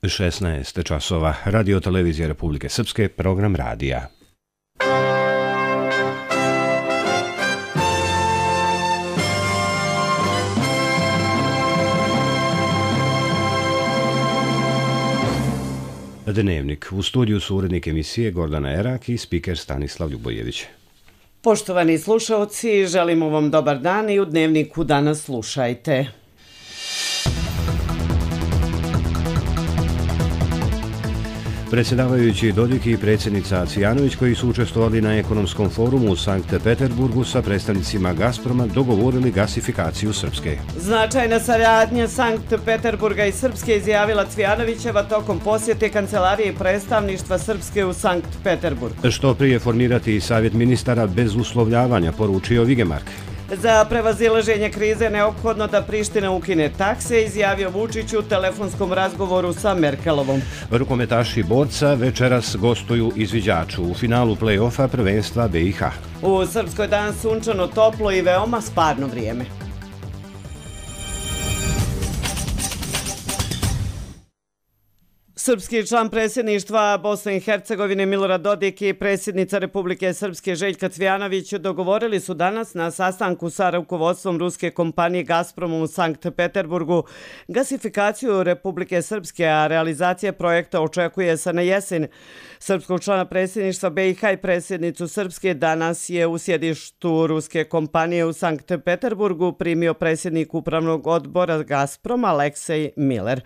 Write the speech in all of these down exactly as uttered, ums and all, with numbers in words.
šesnaest časova. Radio televizija Republike Srpske, program radija. Dnevnik. U studiju su urednik emisije Gordana Erak i spiker Stanislav Ljubojević. Poštovani slušalci, želimo vam dobar dan i u Dnevniku danas slušajte. Predsjedavajući Dodik i predsjednica Cvijanović, koji su učestvovali na ekonomskom forumu u Sankt Peterburgu sa predstavnicima Gazproma, dogovorili gasifikaciju Srpske. Značajna saradnja Sankt Peterburga i Srpske izjavila Cvijanovićeva tokom posjete kancelarije predstavništva Srpske u Sankt Peterburgu. Što prije formirati savjet ministara bez uslovljavanja, poručio Vigemark. Za prevazilaženje krize neophodno da Priština ukine takse, izjavio Vučić u telefonskom razgovoru sa Merkelovom. Rukometaši borca večeras gostuju izviđaču u finalu play-offa prvenstva B i H. U Srpskoj dan sunčano, toplo i veoma sparno vrijeme. Srpski član predsjedništva Bosne i Hercegovine Milorad Dodik i predsjednica Republike Srpske Željka Cvijanović dogovorili su danas na sastanku sa rukovodstvom ruske kompanije Gazprom u Sankt Peterburgu gasifikaciju Republike Srpske, a realizacija projekta očekuje se na jesen. Srpskog člana predsjedništva B i H i predsjednicu Srpske danas je u sjedištu ruske kompanije u Sankt Peterburgu primio predsjednik upravnog odbora Gazproma Aleksej Miller.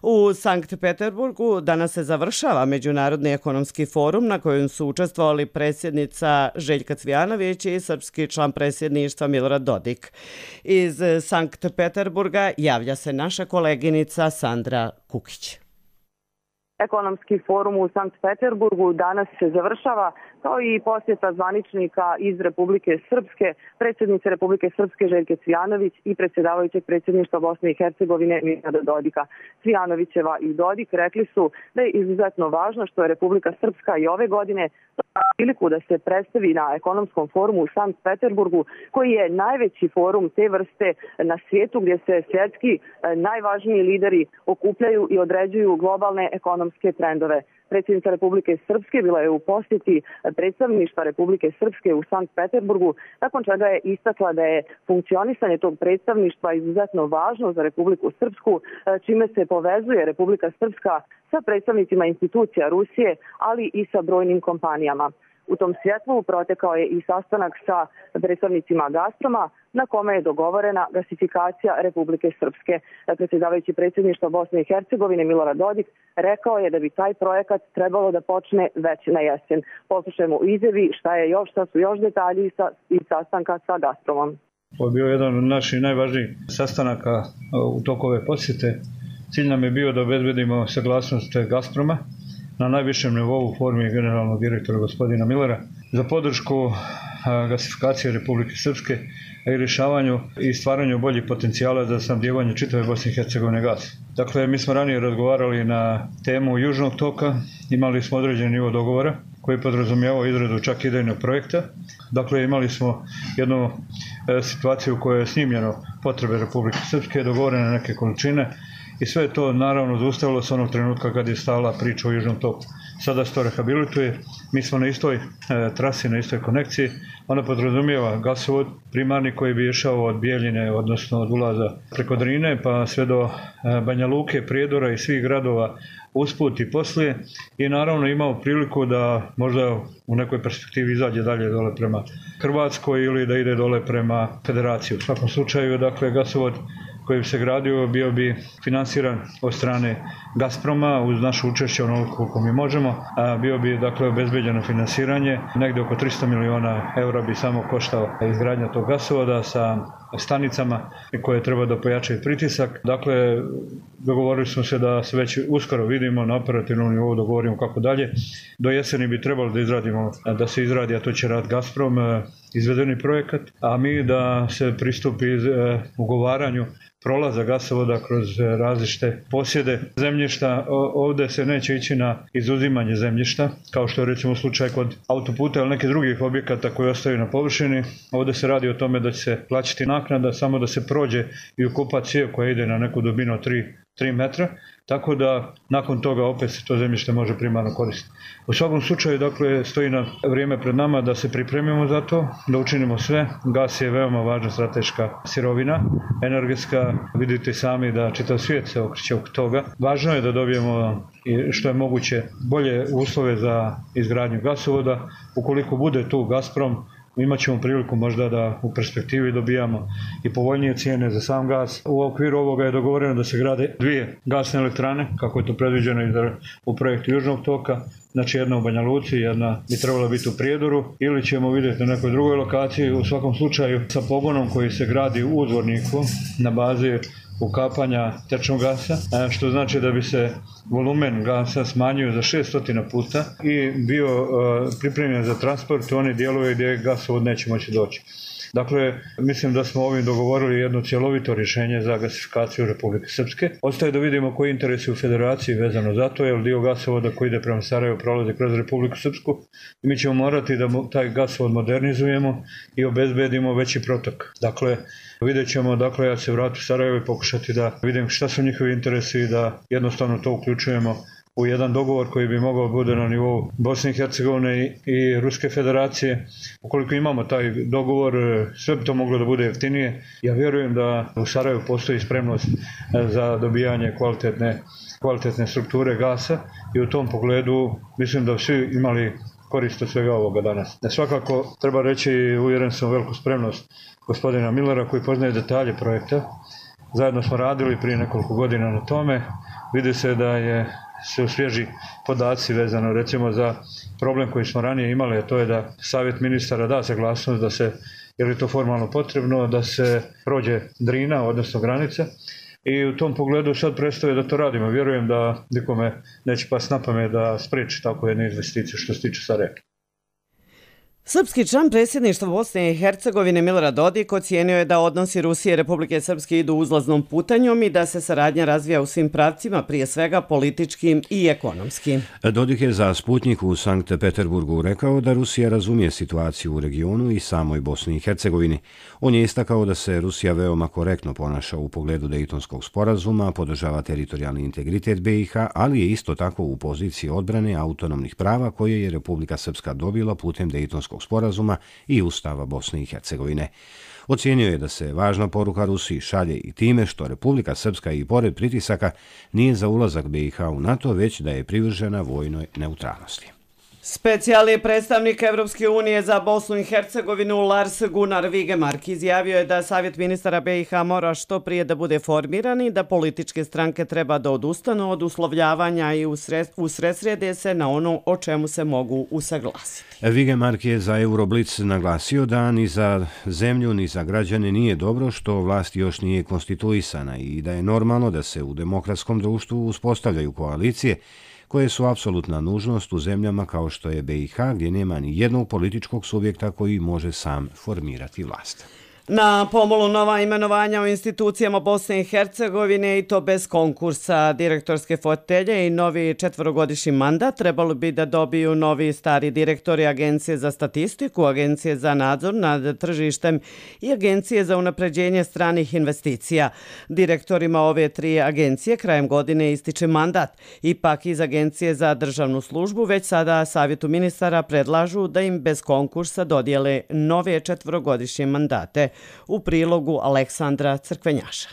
U Sankt Peterburgu danas se završava Međunarodni ekonomski forum na kojem su učestvovali predsjednica Željka Cvijanović i srpski član predsjedništva Milorad Dodik. Iz Sankt Peterburga javlja se naša koleginica Sandra Kukić. Ekonomski forum u Sankt Peterburgu danas se završava, kao i posjeta zvaničnika iz Republike Srpske, predsjednice Republike Srpske Željke Cvijanović i predsjedavajućeg predsjedništva Bosne i Hercegovine Milorada Dodika. Cvijanovićeva i Dodik rekli su da je izuzetno važno što je Republika Srpska i ove godine priliku da se predstavi na ekonomskom forumu u Sankt Peterburgu, koji je najveći forum te vrste na svijetu, gdje se svjetski najvažniji lideri okupljaju i određuju globalne ekonomske trendove. Predsjednica Republike Srpske bila je u posjeti predstavništva Republike Srpske u Sankt Peterburgu, nakon čega je istakla da je funkcionisanje tog predstavništva izuzetno važno za Republiku Srpsku, čime se povezuje Republika Srpska sa predstavnicima institucija Rusije, ali i sa brojnim kompanijama. U tom svjetlu protekao je i sastanak sa predstavnicima Gazproma, na kome je dogovorena gasifikacija Republike Srpske. Predsjedavajući predsjedništva Bosne i Hercegovine Milorad Dodik rekao je da bi taj projekat trebalo da počne već na jesen. Poslušajmo u izjavi šta je još, šta su još detalji sa, iz sastanka sa Gazpromom. Ovo je bio jedan od naših najvažnijih sastanaka u toku ove posjete. Cilj nam je bio da obezbedimo saglasnost Gazproma na najvišem nivou formi generalnog direktora gospodina Millera za podršku gasifikacije Republike Srpske i rješavanju i stvaranju boljih potencijala za snabdijevanje čitave Bosne i Hercegovine gas. Dakle, mi smo ranije razgovarali na temu Južnog toka, imali smo određeni nivo dogovora koji podrazumijevao izradu čak idejnog projekta. Dakle, imali smo jednu e, situaciju u kojoj je snimljeno potrebe Republike Srpske, dogovorene neke količine, i sve je to naravno zaustavilo se onog trenutka kad je stala priča o Južnom toku. Sada se to rehabilituje, mi smo na istoj e, trasi, na istoj konekciji. Ona podrazumijeva gasovod primarni koji bi išao od Bijeljine, odnosno od ulaza preko Drine, pa sve do e, Banja Luke, Prijedora i svih gradova usput i poslije. I naravno imao priliku da možda u nekoj perspektivi izađe dalje dole prema Hrvatskoj ili da ide dole prema Federaciji. U svakom slučaju, dakle, gasovod koji bi se gradio bio bi finansiran od strane Gazproma uz naše učešće onoliko koliko mi možemo, a bio bi, dakle, obezbeđeno finansiranje. Negdje oko tristo miliona eura bi samo koštao izgradnja tog gasovoda sa stanicama koje treba da pojačaju pritisak. Dakle, dogovorili smo se da se već uskoro vidimo na operativnom nivou, dogovorimo kako dalje. Do jeseni bi trebalo da izradimo, da se izradi, a to će rad Gazprom, izvedeni projekat, a mi da se pristupi ugovaranju prolaza gasovoda kroz različite posjede zemljišta. Ovdje se neće ići na izuzimanje zemljišta, kao što je recimo slučaj kod autoputa ili nekih drugih objekata koji ostaju na površini. Ovdje se radi o tome da će se plaćati naknada samo da se prođe i ukopa cijev koja ide na neku dubinu od tri tri metra, tako da nakon toga opet se to zemljište može primarno koristiti. U svakom slučaju, dakle, stoji na vrijeme pred nama da se pripremimo za to, da učinimo sve. Gas je veoma važna strateška sirovina, energetska, vidite sami da čitav svijet se okreće oko toga. Važno je da dobijemo što je moguće bolje uslove za izgradnju gasovoda. Ukoliko bude tu Gazprom, imat ćemo priliku možda da u perspektivi dobijamo i povoljnije cijene za sam gas. U okviru ovoga je dogovoreno da se grade dvije gasne elektrane, kako je to predviđeno u projektu Južnog toka. Znači jedna u Banja Luci, jedna bi trebala biti u Prijedoru, ili ćemo vidjeti na nekoj drugoj lokaciji, u svakom slučaju sa pogonom koji se gradi u Udvorniku na bazi ukapanja tečnog gasa, što znači da bi se volumen gasa smanjio za šest puta i bio pripremljen za transport u one dijelove gdje gasovod neće moći doći. Dakle, mislim da smo ovim dogovorili jedno cjelovito rješenje za gasifikaciju Republike Srpske. Ostaje da vidimo koji interesi u federaciji vezano za to, jer dio gasovoda koji ide prema Sarajevu prolazi kroz Republiku Srpsku i mi ćemo morati da taj gasovod modernizujemo i obezbedimo veći protok. Dakle, vidjet ćemo, dakle, ja se vratim u Sarajevo i pokušati da vidim šta su njihovi interesi i da jednostavno to uključujemo u jedan dogovor koji bi mogao bude na nivou Bosne i Hercegovine i Ruske federacije. Ukoliko imamo taj dogovor, sve bi to moglo da bude jeftinije. Ja vjerujem da u Sarajevu postoji spremnost za dobijanje kvalitetne, kvalitetne strukture gasa i u tom pogledu mislim da svi imali korist od svega ovoga danas. Svakako treba reći, uvjeren sam, veliku spremnost gospodina Millera koji poznaje detalje projekta. Zajedno smo radili prije nekoliko godina na tome. Vidi se da je se osvježi podaci vezano recimo za problem koji smo ranije imali, a to je da savjet ministara da saglasnost da se, je li to formalno potrebno, da se prođe Drina, odnosno granica. I u tom pogledu sad predstavlja da to radimo. Vjerujem da nikome neće pas na pamet da spriječi tako jednu investiciju što se tiče Sarajeva. Srpski član predsjedništva Bosne i Hercegovine Milorad Dodik ocijenio je da odnosi Rusije i Republike Srpske idu uzlaznom putanjom i da se saradnja razvija u svim pravcima, prije svega političkim i ekonomskim. Dodik je za Sputnik u Sankt Peterburgu rekao da Rusija razumije situaciju u regionu i samoj Bosni i Hercegovini. On je istakao da se Rusija veoma korektno ponaša u pogledu Dejtonskog sporazuma, podržava teritorijalni integritet B i H, ali je isto tako u poziciji odbrane autonomnih prava koje je Republika Srpska dobila putem Dejtonskog sporazuma i Ustava Bosne i Hercegovine. Ocijenio je da se važna poruka Rusiji šalje i time što Republika Srpska i pored pritisaka nije za ulazak B i H u NATO, već da je privržena vojnoj neutralnosti. Specijalni predstavnik Evropske unije za Bosnu i Hercegovinu Lars Gunnar Vigemark izjavio je da Savjet ministara B i H mora što prije da bude formiran i da političke stranke treba da odustanu od uslovljavanja i usredsrede se na ono o čemu se mogu usaglasiti. Vigemark je za Euroblic naglasio da ni za zemlju ni za građane nije dobro što vlast još nije konstituisana i da je normalno da se u demokratskom društvu uspostavljaju koalicije koje su apsolutna nužnost u zemljama kao što je B i H, gdje nema ni jednog političkog subjekta koji može sam formirati vlast. Na pomolu nova imenovanja u institucijama Bosne i Hercegovine i to bez konkursa. Direktorske fotelje i novi četvorogodišnji mandat trebalo bi da dobiju novi i stari direktori Agencije za statistiku, Agencije za nadzor nad tržištem i Agencije za unapređenje stranih investicija. Direktorima ove tri agencije krajem godine ističe mandat. Ipak iz Agencije za državnu službu već sada Savjetu ministara predlažu da im bez konkursa dodijele nove četvorogodišnje mandate. U prilogu Aleksandra Crkvenjaša.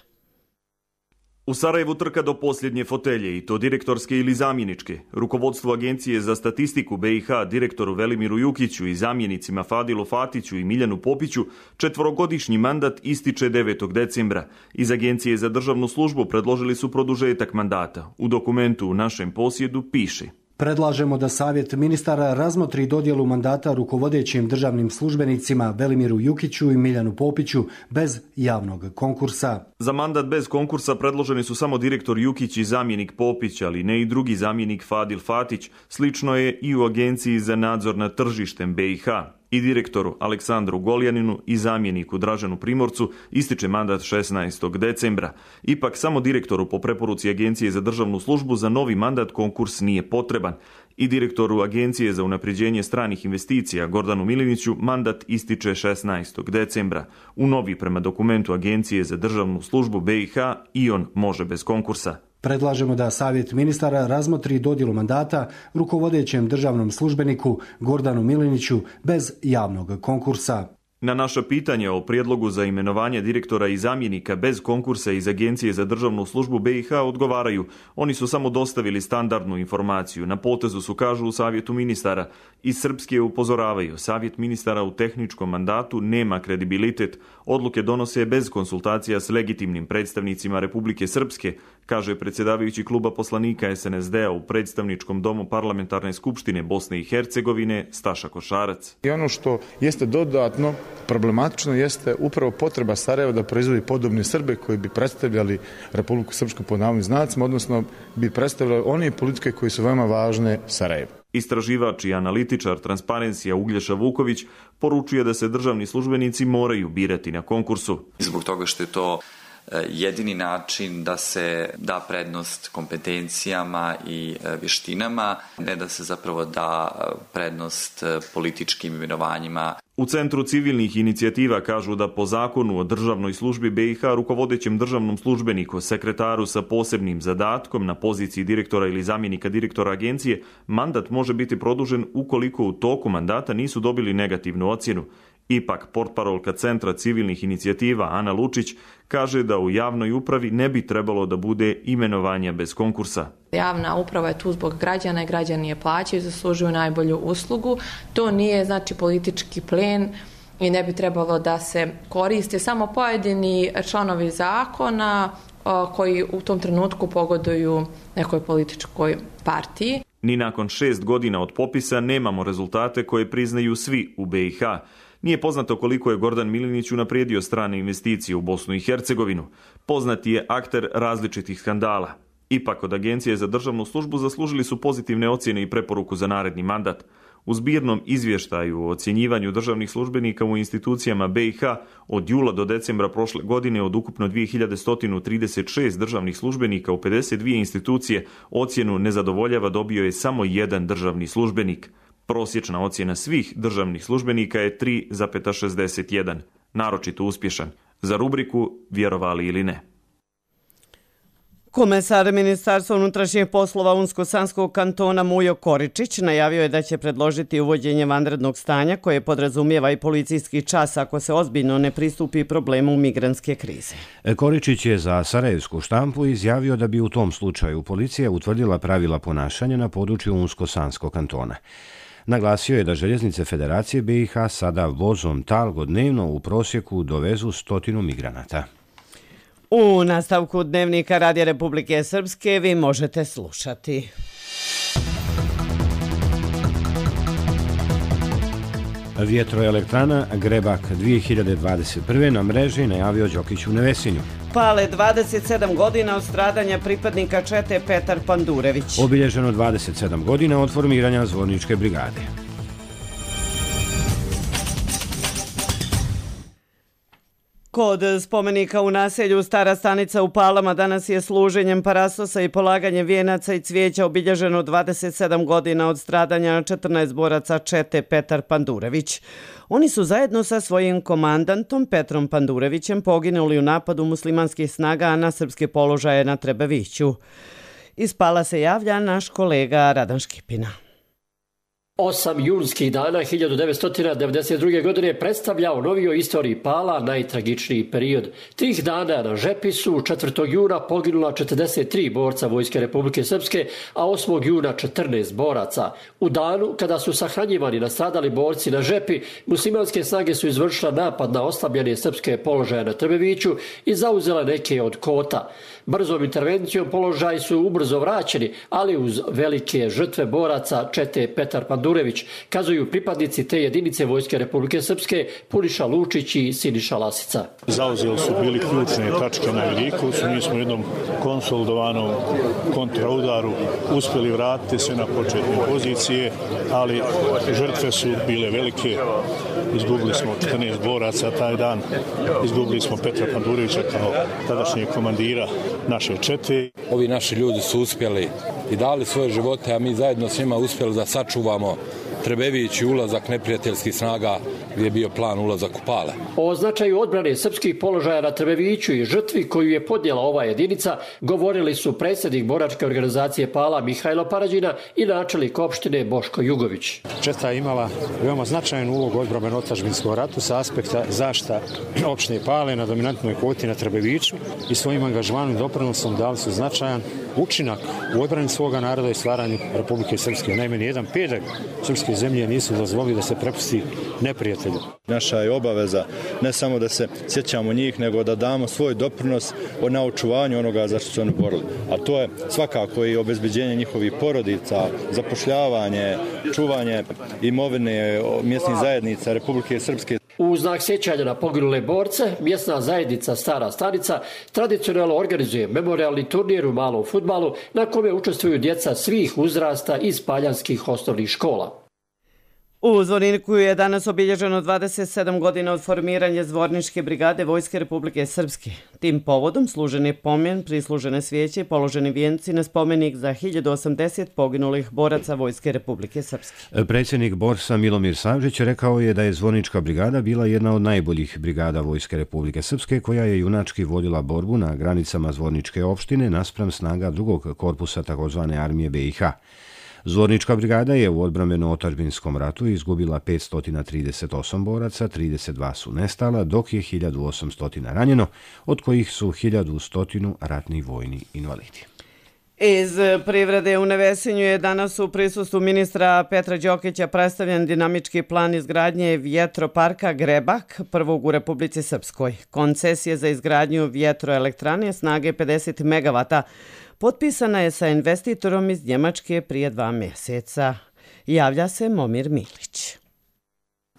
U Sarajevu trka do posljednje fotelje, i to direktorske ili zamjeničke. Rukovodstvo Agencije za statistiku B i H direktoru Velimiru Jukiću i zamjenicima Fadilu Fatiću i Miljanu Popiću četvorogodišnji mandat ističe devetog decembra. Iz Agencije za državnu službu predložili su produžetak mandata. U dokumentu u našem posjedu piše: predlažemo da Savjet ministara razmotri dodjelu mandata rukovodećim državnim službenicima Velimiru Jukiću i Miljanu Popiću bez javnog konkursa. Za mandat bez konkursa predloženi su samo direktor Jukić i zamjenik Popić, ali ne i drugi zamjenik Fadil Fatić. Slično je i u Agenciji za nadzor nad tržištem B i H. I direktoru Aleksandru Goljaninu i zamjeniku Dražanu Primorcu ističe mandat šesnaestog decembra. Ipak samo direktoru po preporuci Agencije za državnu službu za novi mandat konkurs nije potreban. I direktoru Agencije za unapređenje stranih investicija Gordanu Miliniću mandat ističe šesnaestog decembra. U novi prema dokumentu Agencije za državnu službu B i H i on može bez konkursa. Predlažemo da Savjet ministara razmotri dodjelu mandata rukovodećem državnom službeniku Gordanu Miliniću bez javnog konkursa. Na naša pitanja o prijedlogu za imenovanje direktora i zamjenika bez konkursa iz Agencije za državnu službu B i H odgovaraju. Oni su samo dostavili standardnu informaciju. Na potezu su, kažu, u Savjetu ministara. Iz Srpske upozoravaju. Savjet ministara u tehničkom mandatu nema kredibilitet. Odluke donose bez konsultacija s legitimnim predstavnicima Republike Srpske, kaže predsjedavajući kluba poslanika S N S D-a u predstavničkom domu Parlamentarne skupštine Bosne i Hercegovine Staša Košarac. I ono što jeste dodatno problematično jeste upravo potreba Sarajeva da proizvodi podobne Srbe koji bi predstavljali Republiku Srpsku pod navodnim znacima, odnosno bi predstavljali one politike koje su veoma važne Sarajevu. Istraživač i analitičar Transparencija Uglješa Vuković poručuje da se državni službenici moraju birati na konkursu. Zbog toga što je to jedini način da se da prednost kompetencijama i vještinama, ne da se zapravo da prednost političkim imenovanjima. U Centru civilnih inicijativa kažu da po zakonu o državnoj službi B i H rukovodećem državnom službeniku, sekretaru sa posebnim zadatkom na poziciji direktora ili zamjenika direktora agencije, mandat može biti produžen ukoliko u toku mandata nisu dobili negativnu ocjenu. Ipak, portparolka Centra civilnih inicijativa Ana Lučić kaže da u javnoj upravi ne bi trebalo da bude imenovanja bez konkursa. Javna uprava je tu zbog građana i građani je plaćaju, zaslužuju najbolju uslugu. To nije znači politički plen i ne bi trebalo da se koriste samo pojedini članovi zakona koji u tom trenutku pogoduju nekoj političkoj partiji. Ni nakon šest godina od popisa nemamo rezultate koje priznaju svi u B i H. Nije poznato koliko je Gordan Milinić unaprijedio strane investicije u Bosnu i Hercegovinu. Poznati je akter različitih skandala. Ipak od Agencije za državnu službu zaslužili su pozitivne ocjene i preporuku za naredni mandat. U zbirnom izvještaju o ocjenjivanju državnih službenika u institucijama B i H od jula do decembra prošle godine od ukupno dvije hiljade sto trideset šest državnih službenika u pedeset dvije institucije ocjenu nezadovoljava dobio je samo jedan državni službenik. Prosječna ocjena svih državnih službenika je tri zarez šezdeset jedan, naročito uspješan. Za rubriku Vjerovali ili ne. Komesar Ministarstva unutrašnjih poslova Unsko-Sanskog kantona Mujo Koričić najavio je da će predložiti uvođenje vanrednog stanja koje podrazumijeva i policijski čas ako se ozbiljno ne pristupi problemu migrantske krize. Koričić je za sarajevsku štampu izjavio da bi u tom slučaju policija utvrdila pravila ponašanja na području Unsko-Sanskog kantona. Naglasio je da željeznice Federacije B i H sada vozom Talgo dnevno u prosjeku dovezu stotinu migranata. U nastavku Dnevnika Radija Republike Srpske vi možete slušati. Vjetroelektrana Grebak dvije hiljade dvadeset prve na mreži najavio Đokić u Nevesinju. Pale dvadeset sedam godina od stradanja pripadnika čete Petar Pandurević. Obilježeno dvadeset sedam godina od formiranja Zvorničke brigade. Kod spomenika u naselju Stara stanica u Palama danas je služenjem parasosa i polaganjem vijenaca i cvijeća obilježeno dvadeset sedam godina od stradanja četrnaest boraca čete Petar Pandurević. Oni su zajedno sa svojim komandantom Petrom Pandurevićem poginuli u napadu muslimanskih snaga na srpske položaje na Trebeviću. Iz Pala se javlja naš kolega Radan Škipina. Osam junskih dana hiljadu devetsto devedeset druge. godine predstavlja u novijoj istoriji Pala najtragičniji period. Tih dana na Žepi su četvrtog juna poginula četrdeset tri borca Vojske Republike Srpske, a osmog juna četrnaest boraca. U danu kada su sahranjivani nastradali borci na Žepi, muslimanske snage su izvršile napad na oslabljene srpske položaje na Trbeviću i zauzela neke od kota. Brzom intervencijom položaji su ubrzo vraćeni, ali uz velike žrtve boraca čete Petar Pandurević, kazuju pripadnici te jedinice Vojske Republike Srpske Puniša Lučić i Siniša Lasica. Zauzeli su bili ključne tačke na Vidikovcu, mi smo u jednom konsolidovanom kontraudaru uspjeli vratiti se na početne pozicije, ali žrtve su bile velike. Izgubili smo četrnaest boraca taj dan, izgubili smo Petra Pandurevića kao tadašnjeg komandira naše čete. Ovi naši ljudi su uspjeli i dali svoje živote, a mi zajedno s njima uspjeli da sačuvamo Trebević i ulazak neprijateljskih snaga gdje je bio plan ulazak u Pale. O značaju odbrane srpskih položaja na Trebeviću i žrtvi koju je podnijela ova jedinica govorili su predsjednik boračke organizacije Pala Mihajlo Parađina i načelnik opštine Boško Jugović. Četa je imala veoma značajnu ulogu u odbrambeno-otadžbinskom ratu sa aspekta zaštita opštine Pale na dominantnoj kvoti na Trebeviću i svojim angažmanom i doprinosom dali su značajan učinak u odbrani svoga naroda i stvaranju Republike Srpske. Naime, nijedan pedalj srpske zemlje nisu dozvolili da se prepusti neprijatelju. Naša je obaveza ne samo da se sjećamo njih, nego da damo svoj doprinos na očuvanju onoga za što su oni borili. A to je svakako i obezbeđenje njihovih porodica, zapošljavanje, čuvanje imovine mjesnih zajednica Republike Srpske. U znak sjećanja na poginule borce, mjesna zajednica Stara Stanica tradicionalno organizuje memorialni turnir u malom fudbalu na kome učestvuju djeca svih uzrasta iz paljanskih osnovnih škola. U Zvorniku je danas obilježeno dvadeset sedam godina od formiranja Zvorničke brigade Vojske Republike Srpske. Tim povodom služen je pomen, prislužene svijeće i položeni vijenci na spomenik za hiljadu osamdeset poginulih boraca Vojske Republike Srpske. Predsjednik Borsa Milomir Savžić rekao je da je Zvornička brigada bila jedna od najboljih brigada Vojske Republike Srpske koja je junački vodila borbu na granicama Zvorničke opštine naspram snaga drugog korpusa takozvane armije B i H. Zvornička brigada je u odbrambeno-otadžbinskom ratu izgubila petsto trideset osam boraca, trideset dva su nestala, dok je hiljadu osamsto ranjeno, od kojih su hiljadu sto ratni vojni invalidi. Iz privrede u Nevesinju je danas u prisustvu ministra Petra Đokića predstavljen dinamički plan izgradnje vjetroparka Grebak, prvog u Republici Srpskoj. Koncesija za izgradnju vjetroelektrane snage pedeset megavata potpisana je sa investitorom iz Njemačke prije dva mjeseca. Javlja se Momir Milić.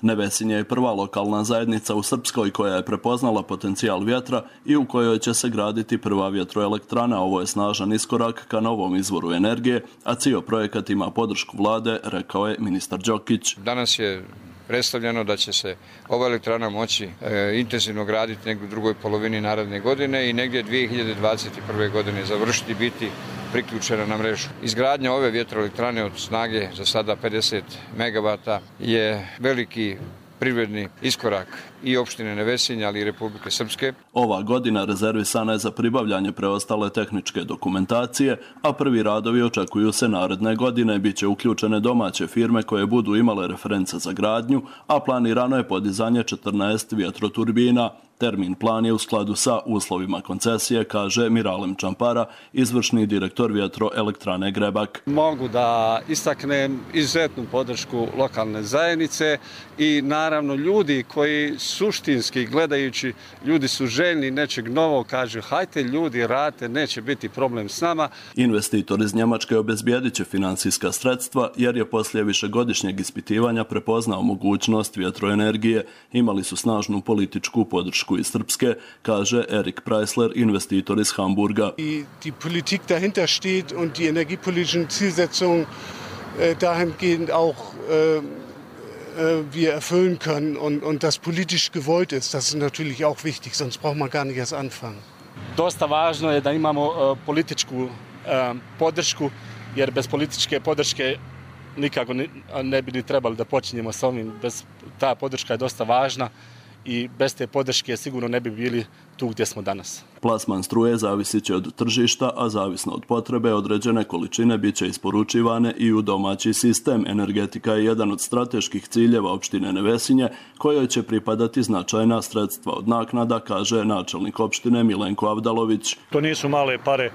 Nevesinje je prva lokalna zajednica u Srpskoj koja je prepoznala potencijal vjetra i u kojoj će se graditi prva vjetroelektrana. Ovo je snažan iskorak ka novom izvoru energije, a cijel projekat ima podršku vlade, rekao je ministar Đokić. Danas je predstavljeno da će se ova elektrana moći e, intenzivno graditi negdje u drugoj polovini naredne godine i negdje dvije hiljade dvadeset prve. godine završiti biti priključena na mrežu. Izgradnja ove vjetroelektrane od snage za sada pedeset megavata je veliki privredni iskorak i opštine Nevesinje, ali i Republike Srpske. Ova godina rezervisana je za pribavljanje preostale tehničke dokumentacije, a prvi radovi očekuju se naredne godine. Biće uključene domaće firme koje budu imale reference za gradnju, a planirano je podizanje četrnaest vjetroturbina. Termin plan je u skladu sa uslovima koncesije, kaže Miralem Čampara, izvršni direktor vjetroelektrane Grebak. Mogu da istaknem izuzetnu podršku lokalne zajednice i naravno ljudi koji suštinski gledajući, ljudi su željni nečeg novog, kažu hajte ljudi, radite, neće biti problem s nama. Investitor iz Njemačke obezbijedit će financijska sredstva jer je poslije višegodišnjeg ispitivanja prepoznao mogućnost vjetroenergije. Imali su snažnu političku podršku iz Srpske, kaže Erik Preisler, investitor iz Hamburga. Die, die Politik dahinter steht und die energiepolitischen Zielsetzungen äh, dahingehend auch äh, wir erfüllen können und, und das politisch gewollt ist, das ist natürlich auch wichtig, sonst braucht man gar nicht erst anfangen. Dosta važno je da imamo uh, političku uh, podršku, jer bez političke podrške nikako ne, ne bi ni trebali da počinjemo s ovim. Bez, ta podrška je dosta važna i bez te podrške sigurno ne bi bili tu gdje smo danas. Plasman struje zavisit će od tržišta, a zavisno od potrebe određene količine bit će isporučivane i u domaći sistem. Energetika je jedan od strateških ciljeva opštine Nevesinje, kojoj će pripadati značajna sredstva od naknada, kaže načelnik opštine Milenko Avdalović. To nisu male pare,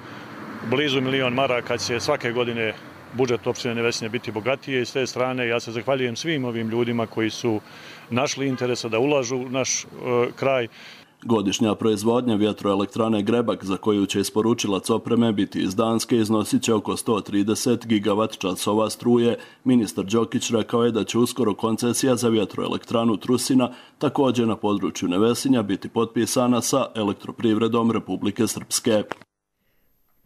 blizu milion maraka će svake godine budžet opštine Nevesinje biti bogatije i s te strane ja se zahvaljujem svim ovim ljudima koji su našli interesa da ulažu u naš e, kraj. Godišnja proizvodnja vjetroelektrane Grebak, za koju će isporučilac opreme biti iz Danske, iznosit će oko sto trideset gigavat časova struje. Ministar Đokić rekao je da će uskoro koncesija za vjetroelektranu Trusina, također na području Nevesinja, biti potpisana sa Elektroprivredom Republike Srpske.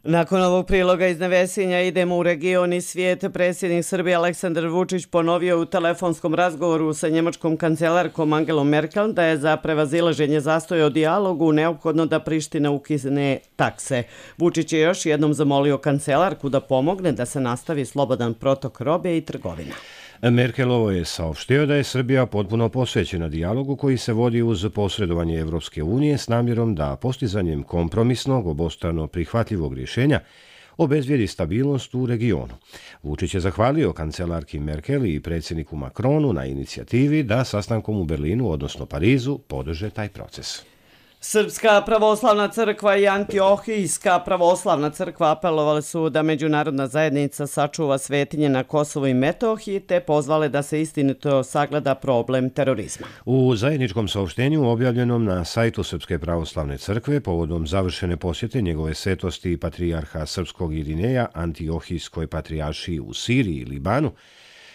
Nakon ovog priloga iz Nevesinja idemo u region i svijet. Predsjednik Srbije Aleksandar Vučić ponovio u telefonskom razgovoru sa njemačkom kancelarkom Angelom Merkel da je za prevazilaženje zastoja o dijalogu neophodno da Priština ukine takse. Vučić je još jednom zamolio kancelarku da pomogne da se nastavi slobodan protok robe i trgovina. Merkelovo je saopštio da je Srbija potpuno posvećena dijalogu koji se vodi uz posredovanje Evropske unije s namjerom da postizanjem kompromisnog, obostrano prihvatljivog rješenja obezbijedi stabilnost u regionu. Vučić je zahvalio kancelarki Merkel i predsjedniku Macronu na inicijativi da sastankom u Berlinu, odnosno Parizu, podrže taj proces. Srpska pravoslavna crkva i Antiohijska pravoslavna crkva apelovali su da međunarodna zajednica sačuva svetinje na Kosovu i Metohiji te pozvale da se istinito sagleda problem terorizma. U zajedničkom saopštenju objavljenom na sajtu Srpske pravoslavne crkve povodom završene posjete njegove svetosti patrijarha Srpskog Irineja Antiohijskoj patrijaršiji u Siriji i Libanu,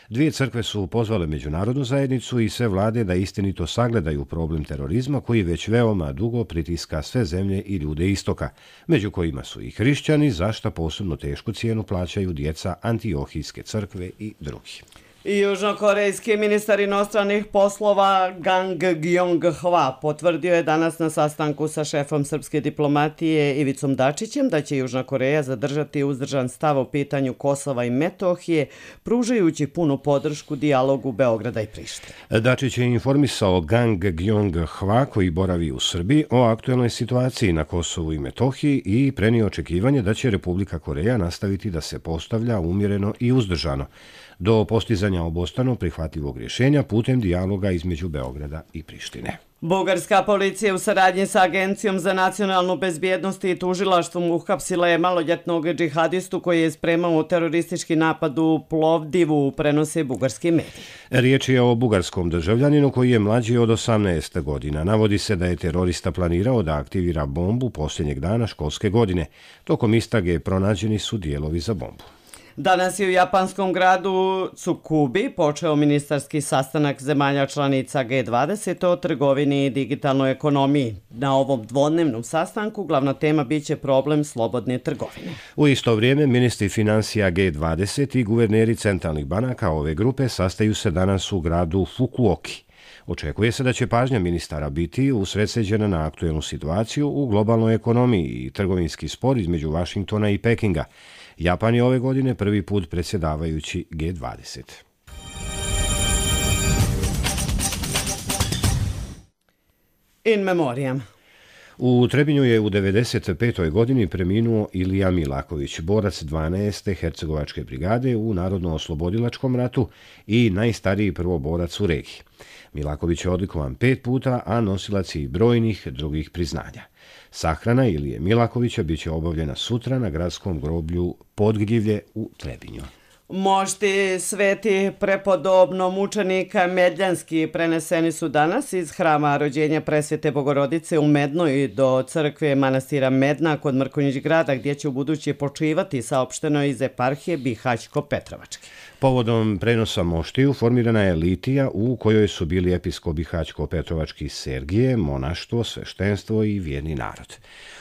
dvije crkve su pozvale međunarodnu zajednicu i sve vlade da istinito sagledaju problem terorizma koji već veoma dugo pritiska sve zemlje i ljude istoka, među kojima su i hrišćani, za šta posebno tešku cijenu plaćaju djeca Antiohijske crkve i drugi. I južnokorejski ministar inostranih poslova Gang Gyong-hwa potvrdio je danas na sastanku sa šefom srpske diplomatije Ivicom Dačićem da će Južna Koreja zadržati uzdržan stav o pitanju Kosova i Metohije, pružajući punu podršku dijalogu Beograda i Prištine. Dačić je informisao Gang Gyong-hwa koji boravi u Srbiji o aktuelnoj situaciji na Kosovu i Metohiji i prenio očekivanje da će Republika Koreja nastaviti da se postavlja umjereno i uzdržano do postizanja obostrano prihvatljivog rješenja putem dijaloga između Beograda i Prištine. Bugarska policija u saradnji sa Agencijom za nacionalnu bezbjednost i tužilaštvom uhapsila je maloljetnog džihadistu koji je spremao teroristički napad u Plovdivu, prenose bugarski mediji. Riječ je o bugarskom državljaninu koji je mlađi od osamnaest godina. Navodi se da je terorista planirao da aktivira bombu posljednjeg dana školske godine. Tokom istrage pronađeni su dijelovi za bombu. Danas je u japanskom gradu Tsukubi počeo ministarski sastanak zemalja članica G dvadeset o trgovini i digitalnoj ekonomiji. Na ovom dvodnevnom sastanku glavna tema biće problem slobodne trgovine. U isto vrijeme ministri financija G dvadeset i guverneri centralnih banaka ove grupe sastaju se danas u gradu Fukuoki. Očekuje se da će pažnja ministara biti usredsređena na aktuelnu situaciju u globalnoj ekonomiji i trgovinski spor između Vašingtona i Pekinga. Japan je ove godine prvi put predsjedavajući G dvadeset. In memoriam. U Trebinju je u devedeset petoj godini preminuo Ilija Milaković, borac dvanaeste Hercegovačke brigade u Narodno-oslobodilačkom ratu i najstariji prvoborac u regiji. Milaković je odlikovan pet puta, a nosilac i brojnih drugih priznanja. Sahrana Ilije Milakovića biće obavljena sutra na gradskom groblju Podgljivlje u Trebinju. Mošti sveti prepodobno mučenika Medljanski preneseni su danas iz hrama rođenja Presvete Bogorodice u Mednoj do crkve manastira Medna kod Mrkonjić grada gdje će u buduće počivati, saopšteno iz eparhije Bihać-Petrovačke. Povodom prenosa moštiju formirana je litija u kojoj su bili episkop Bihać-Petrovački Sergije, monaštvo, sveštenstvo i vjerni narod.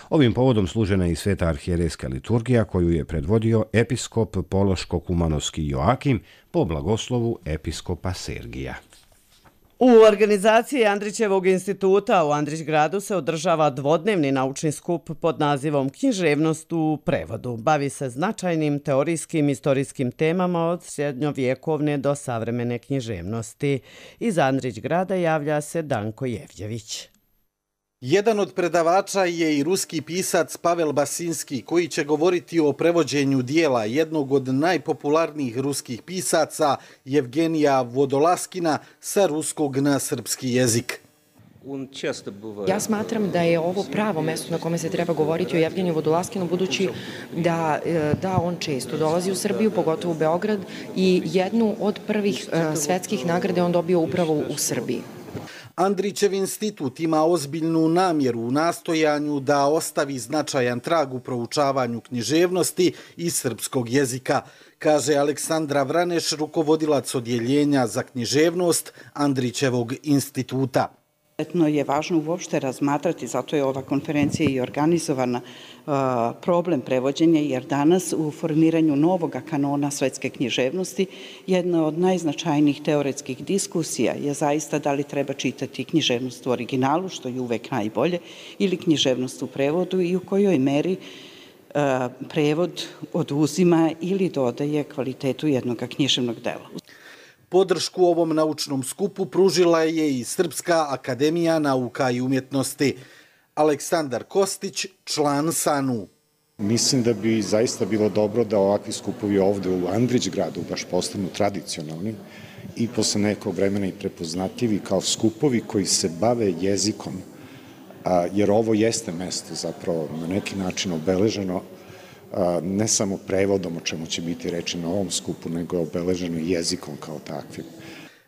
Ovim povodom služena je i sveta arhijerejska liturgija koju je predvodio episkop Pološko-Kumanovski Joakim po blagoslovu episkopa Sergija. U organizaciji Andrićevog instituta u Andrićgradu se održava dvodnevni naučni skup pod nazivom Književnost u prevodu. Bavi se značajnim teorijskim istorijskim temama od srednjovjekovne do savremene književnosti. Iz Andrićgrada javlja se Danko Jevđević. Jedan od predavača je i ruski pisac Pavel Basinski, koji će govoriti o prevođenju dijela jednog od najpopularnijih ruskih pisaca, Evgenija Vodolaskina, sa ruskog na srpski jezik. Ja smatram da je ovo pravo mesto na kome se treba govoriti o Evgeniju Vodolaskinu, budući da, da on često dolazi u Srbiju, pogotovo u Beograd, i jednu od prvih svetskih nagrade on dobio upravo u Srbiji. Andrićev institut ima ozbiljnu namjeru u nastojanju da ostavi značajan trag u proučavanju književnosti i srpskog jezika, kaže Aleksandra Vraneš, rukovodilac odjeljenja za književnost Andrićevog instituta. Izuzetno je važno uopšte razmatrati, zato je ova konferencija i organizovana, problem prevođenja, jer danas u formiranju novog kanona svetske književnosti jedna od najznačajnijih teoretskih diskusija je zaista da li treba čitati književnost u originalu, što je uvek najbolje, ili književnost u prevodu i u kojoj meri prevod oduzima ili dodaje kvalitetu jednog književnog dela. Podršku ovom naučnom skupu pružila je i Srpska akademija nauka i umjetnosti. Aleksandar Kostić, član S A N U. Mislim da bi zaista bilo dobro da ovakvi skupovi ovde u Andrićgradu baš postanu tradicionalni i posle nekog vremena i prepoznatljivi kao skupovi koji se bave jezikom, jer ovo jeste mesto zapravo na neki način obeleženo ne samo prevodom, o čemu će biti reči na ovom skupu, nego obeleženo jezikom kao takvim.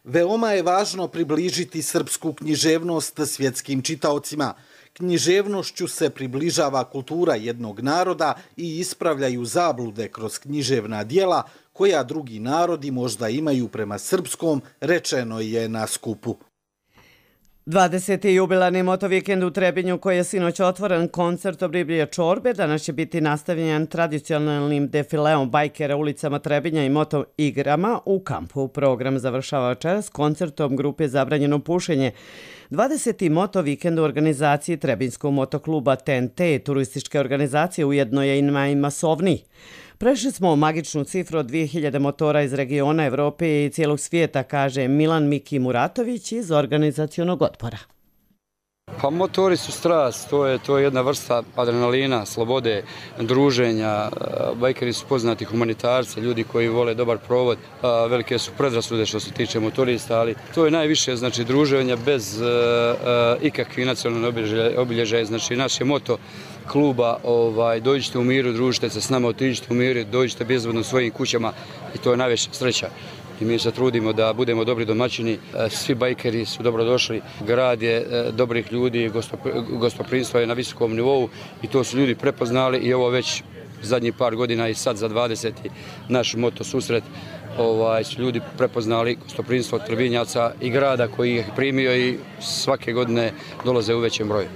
Veoma je važno približiti srpsku književnost svjetskim čitaocima. Književnošću se približava kultura jednog naroda i ispravljaju zablude kroz književna dijela koja drugi narodi možda imaju prema srpskom, rečeno je na skupu. dvadeseti jubilarni motovikend u Trebinju koji je sinoć otvoren koncertom Riblje čorbe, danas će biti nastavljen tradicionalnim defileom bajkera ulicama Trebinja i moto igrama u kampu. Program završava večeras koncertom grupe Zabranjeno pušenje. dvadeseti motovikend u organizaciji Trebinjskog motokluba T N T, turističke organizacije, ujedno je i najmasovniji. Prešli smo magičnu cifru od dvije hiljade motora iz regiona Evrope i cijelog svijeta, kaže Milan Miki Muratović iz organizacionog odbora. Pa motori su strast, to je, to je jedna vrsta adrenalina, slobode, druženja. Bajkeri su poznati humanitarci, ljudi koji vole dobar provod. Velike su predrasude što se tiče motorista, ali to je najviše, znači, druženja bez uh, uh, ikakvih nacionalnih obilježaja. Znači, naš je moto kluba, ovaj, dođite u miru, družite se s nama, otiđite u miru, dođite bezbedno svojim kućama i to je najveća sreća. I mi se trudimo da budemo dobri domaćini, svi bajkeri su dobrodošli, grad je dobrih ljudi, gostoprimstvo je na visokom nivou i to su ljudi prepoznali i ovo već zadnjih par godina i sad za dvadeseti naš moto susret ovaj, su ljudi prepoznali gostoprimstvo Trebinjaca i grada koji ih primio i svake godine dolaze u većem broju.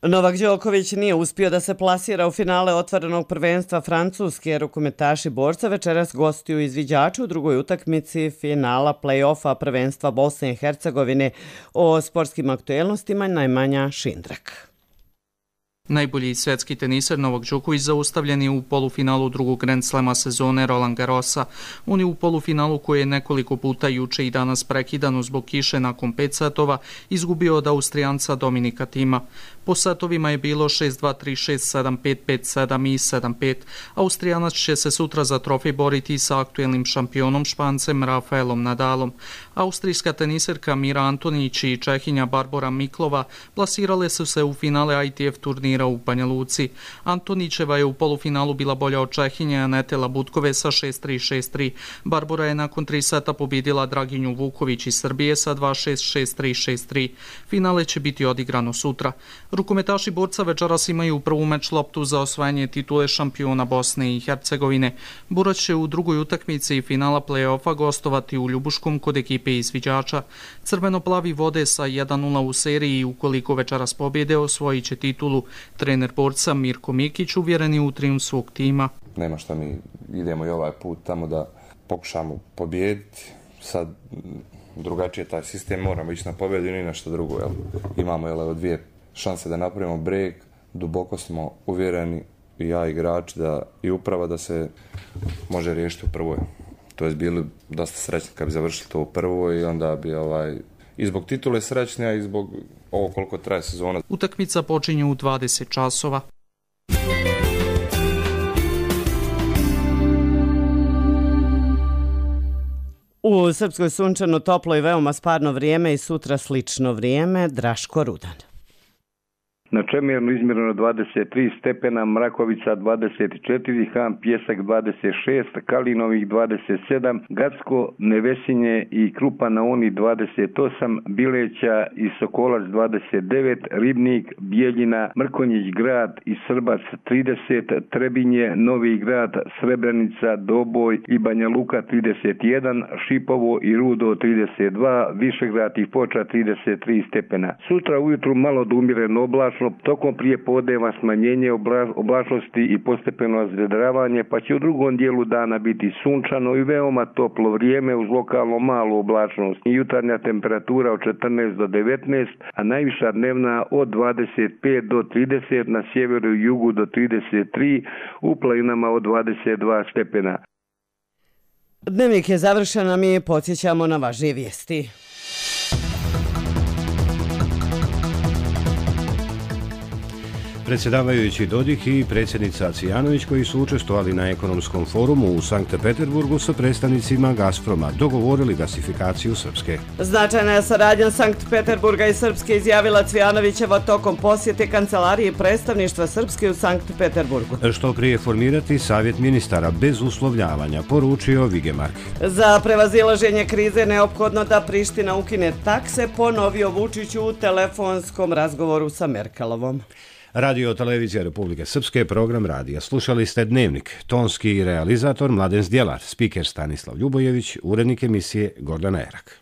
Novak Đoković nije uspio da se plasira u finale otvorenog prvenstva Francuske. Rukometaši borca večeras gostuju izviđaču u drugoj utakmici finala play-offa prvenstva Bosne i Hercegovine. O sportskim aktuelnostima Najmanja Šindrak. Najbolji svetski teniser Novak Đoković zaustavljen je u polufinalu drugog Grand Slema sezone Roland Garrosa. On je u polufinalu koji je nekoliko puta juče i danas prekidan zbog kiše nakon pet setova izgubio od Austrijanca Dominika Tima. Po setovima je bilo šest dva, tri šest, sedam pet, pet sedam i sedam pet. Austrijanac će se sutra za trofej boriti sa aktuelnim šampionom Špancem Rafaelom Nadalom. Austrijska teniserka Mira Antonić i Čehinja Barbora Miklova plasirale su se u finale I T F turnira u Banja Luci. Antonićeva je u polufinalu bila bolja od Čehinje Anete Labutkove sa šest tri, šest tri. Barbora je nakon tri seta pobjedila Draginju Vuković iz Srbije sa dva šest, šest tri, šest tri. Finale će biti odigrano sutra. Rukometaši borca večeras imaju prvu meč loptu za osvajanje titule šampiona Bosne i Hercegovine. Borac će u drugoj utakmici finala play-offa gostovati u Ljubuškom kod ekipe izviđača. Crveno-plavi vode sa jedan nula u seriji i ukoliko večeras pobjede osvojit će titulu. Trener borca Mirko Mikić uvjeren je u trijumf svog tima. Nema šta, mi idemo i ovaj put tamo da pokušamo pobijediti. Sad drugačije taj sistem, moramo ići na pobjedu i ni na što drugo. Jel? Imamo jel, dvije šanse da napravimo break, duboko smo uvjereni i ja igrač da i uprava da se može riješiti u prvoj. To je bili dosta srećni kad bi završili to u prvoj i onda bi ovaj, i zbog titule srećnija i zbog ovo koliko traje sezona. Utakmica počinje u dvadeset časova. U Srpskoj sunčano, toplo i veoma sparno vrijeme i sutra slično vrijeme. Draško Rudan. Na Čemernu izmjereno dvadeset tri stepena, Mrakovica dvadeset četiri, Han Pjesak dvadeset šest, Kalinovih dvadeset sedam, Gacko, Nevesinje i Krupa na Oni dvadeset osam, Bileća i Sokolac dvadeset devet, Ribnik, Bijeljina, Mrkonjić grad i Srbac trideset, Trebinje, Novi grad, Srebrenica, Doboj i Banja Luka trideset jedan, Šipovo i Rudo trideset dva, Višegrad i Foča trideset tri stepena. Sutra ujutru malo do umjereno oblačno oblačno, tokom prijepodneva smanjenje oblačnosti i postepeno razvedravanje, pa će u drugom dijelu dana biti sunčano i veoma toplo vrijeme uz lokalno malu oblačnost. Jutarnja temperatura od četrnaest do devetnaest, a najviša dnevna od dvadeset pet do trideset, na sjeveru i jugu do trideset tri, u planinama od dvadeset dva stepena. Dnevnik je završen, a mi podsjećamo na važnije vijesti. Predsjedavajući Dodik i predsjednica Cvijanović, koji su učestvovali na ekonomskom forumu u Sankt Peterburgu sa predstavnicima Gazproma, dogovorili gasifikaciju Srpske. Značajna je saradnja Sankt Peterburga i Srpske, izjavila Cvijanovićeva tokom posjete kancelarije predstavništva Srpske u Sankt Peterburgu. Što prije formirati savjet ministara bez uslovljavanja, poručio Vigemark. Za prevazilaženje krize neophodno da Priština ukine takse, ponovio Vučić u telefonskom razgovoru sa Merkelovom. Radio Televizija Republike Srpske, program radija. Slušali ste Dnevnik. Tonski realizator Mladen Zdjelar, spiker Stanislav Ljubojević, urednik emisije Gordana Erak.